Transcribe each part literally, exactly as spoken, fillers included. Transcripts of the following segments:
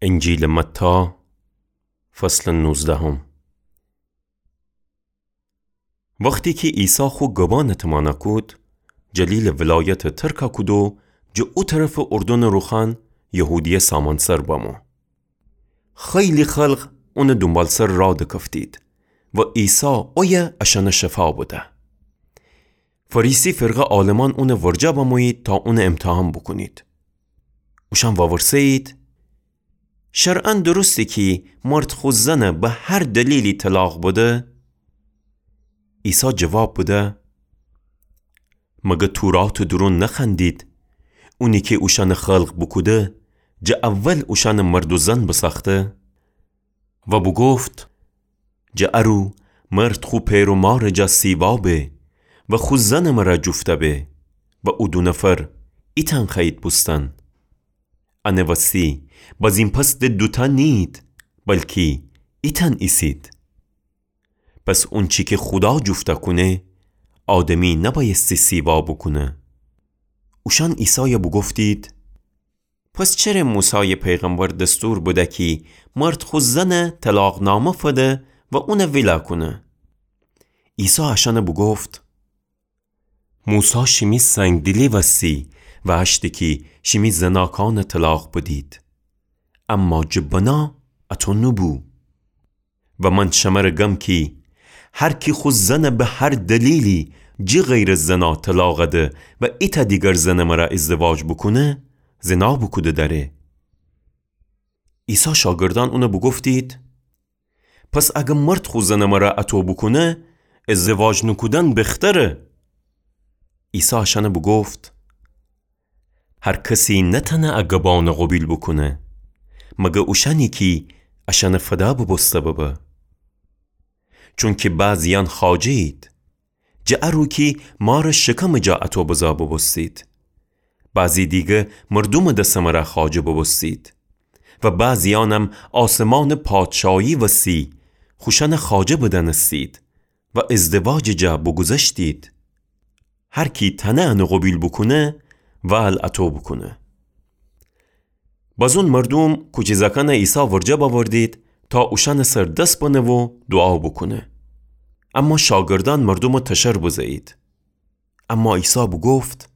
انجیلٚ متی، فصلٚ نوزدهم. وختی کی عیسی خو گبانٚ تمانا کود، جلیلٚ ولایت ترکا کود و جٚه او طرفٚ اردنٚ روخان یهودیه سامانسر بمو. خیلی خلق اونٚ دونبالسر راه دکفتید و عیسی اویه اشأنٚ شفا بده. فریسی فرقه عالمان اونٚ ورجه بمویید تا اونٚ امتحان بوکونید. اوشأن وورسه‌یید: شرعاً درسته کی مرد خو زنه به هر دلیلی طلاق بده؟ عیسی جواب بده: مگر توراتٚ دورون نخوأندید، اونی کی اوشأنٚ خلق بوکوده، جٚه اول اوشأنٚ مرد و زن بساخته؟ و بوگفت: جٚه ارو مرد خو پئر و مارٚ جا سیوا به و خو زنٚ مرا جوفته به و او دو نفر ایتأن خوأیید بوستن. انه وستی بزین پس د دوتأ نیید، بلکی ایتأن ایسید. پس اونچی کی خودا جوفته کونه، آدمی نبأیستی سیوا بوکونه. اوشأن عیسایَ بوگفتید: پس چره موسایٚ پیغمبر دستور بده کی مرد خو زنه طلاق‌نامه فده و اونه ویلا کونه؟ عیسی اشأنَ بوگفت: موسی شیمی سنگدلی وستی و هشته کی شیمی زناکأنَ طلاق بدید، اما جٚه بنا اطو نوبو. و من شمره گم کی هر کی خو زنَ به هر دلیلی جٚه غیرٚ زنا طلاق ده و ایتأ دیگر زنٚ مرا ازدواج بوکونه، زنا بوکوده دأره. عیسی شاگردأن اونَ بوگفتید: پس اگر مرد خو زنٚ مرا اطو بوکونه، ازدواج نوکودن بختره. عیسی اشأنَ بوگفت: هر کسی نتأنه ا گبانَ قوبیل بوکونه، مگر اوشأنی کی اشأنَ فدا ببوسته ببه. چونکی بعضیأن خواجه‌یید، جٚه ارو کی مارٚ شکمٚ جا اطو بزا ببوستید. بعضی دیگر مردومٚ دسٚ مرا خواجه ببوستید. و بعضیأنم آسمانٚ پادشایی وستی خوشأنَ خواجه بدأنستید و ازدواجٚ جا بوگوذشتید. هر کی تأنه انَ قوبیل بوکونه، وال اطو بوکونه. بازون مردوم کوچی زأکأنَ عیسی ورجه بأوردید تا اوشأنٚ سر دس بنه و دوعا بوکونه. اما شاگردأن مردومَ تشر بزه‌یید. اما عیسی بوگفت: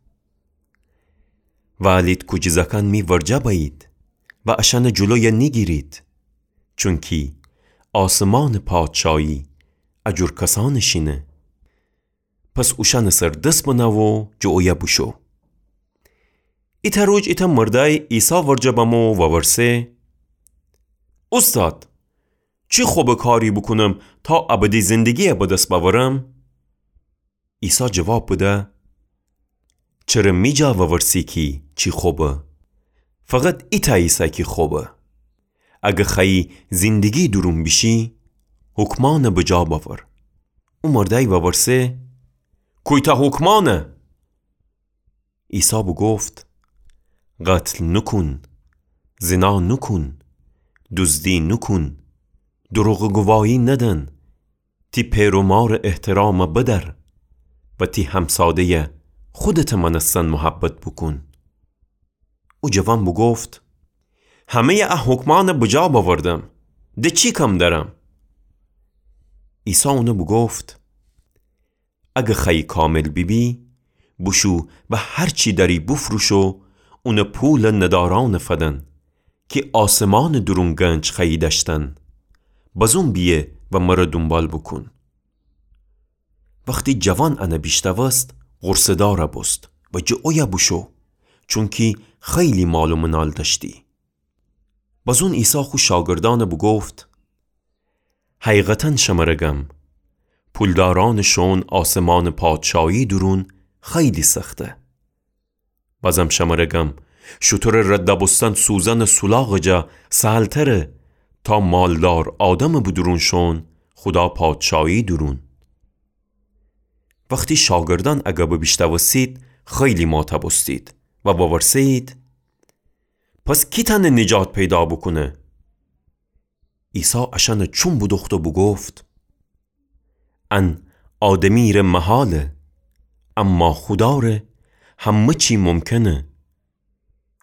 والید کوچی زأکأن می ورجه بأیید و اشأنٚ جلویَ نیگیرید، چونکی آسمانٚ پادشایی ا جور کسأنٚ شینه. پس اوشأنٚ سر دس بنه و جٚه اویه بوشو. ایتأ روز ایتأ مردأی عیسی ورجه بمو و وورسه: اوستاد، چی خوبٚ کاری بوکونم تا ابدی زندگیَ به دس بأورم؟ عیسی جواب بده: چره می جا وورسی کی چی خوبه؟ فقط ایتأ ایسه کی خوبه. اگر خوأیی زندگی دورون بیشی، حکمأنَ بجا بأور. او مردأی وورسه: کویتأ حکمأنَ؟ عیسی بوگفت: قتل نوکون، زنا نوکون، دوزدی نوکون، دروغٚ گواهی ندن، تی پئر و مارٚ احترامَ بدأر و تی همساده‌یَ خودتٚ مأنستن محبت بوکون. او جوان بوگفت: همه‌یٚ ا حکمأنَ بجا بأوردم، د چی کم دأرم؟ عیسی اونَ بوگفت: اگر خوأیی کامل بیبی، بوشو و هر چی دأری بوفروش و اونٚ پولَ ندارأنَ فدن کی آسمانٚ دورون گنج خوأیی دأشتن. بازون بیه و مرَ دونبال بوکون. وختی جوان انَ بیشنوست، غورصه‌دارَ بوست و جٚه اویه بوشو، چونکی خیلی مال و منال دأشتی. بازون عیسی خو شاگردأنَ بوگفت: حقیقتاً شمرَ گم، پولدارأنٚ شوئون آسمانٚ پادشایی دورون خیلی سخته. بازم شمرَ گم، شوتورٚ رد بوستن سوزنٚ سولاغٚ جا سهلتره تا مالدار آدمٚ بدورون شوئون خودا پادشایی دورون. وختی شاگردأن ا گبَ بیشنوستید، خیلی ماتَ بوستید و وورسه‌یید: پس کی تأنه نجات پیدا بوکونه؟ عیسی اشأنَ چوم بودوخت و بوگفت: ان آدمی‌ره محاله، اما خوداره همه چی ممکنه.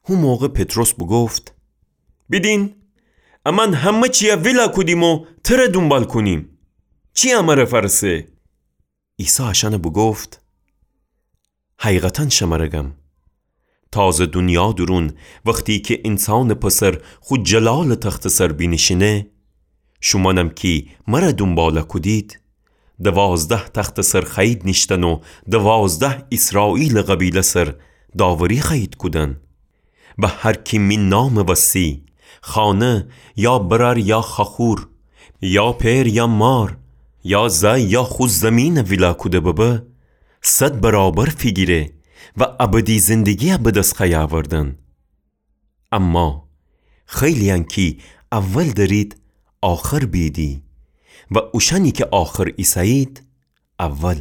هو موقع پطرس بوگفت: بیدین، امأن همه چیَ ویلا کودیم و تره دونبال کونیم. چی امره فأرسه؟ عیسی اشأنَ بوگفت: حقیقتاً شمره گم، تا ز دونیا دورون، وختی کی اینسانٚ پسر خو جلالٚ تختٚ سر بینیشینه، شومأنم کی مره دونبال کودید، دوازده تختٚ سر خوأیید نیشتن و دوازده ایسرائیلٚ قبیله سر داوری خوأیید کودن. به هر کی می نامٚ وستی، خانه یا برأر یا خوأخور، یا پئر یا مار، یا زأی یا خو زیمینَ ویلا کوده ببه، صد برابر فیگیره و ابدی زندگیَ به دس خوأیأوردن. اما خیلی‌یأن کی اول دأرید، آخر بیدی، و اوشأنی کی آخر ایسه‌یید، اول.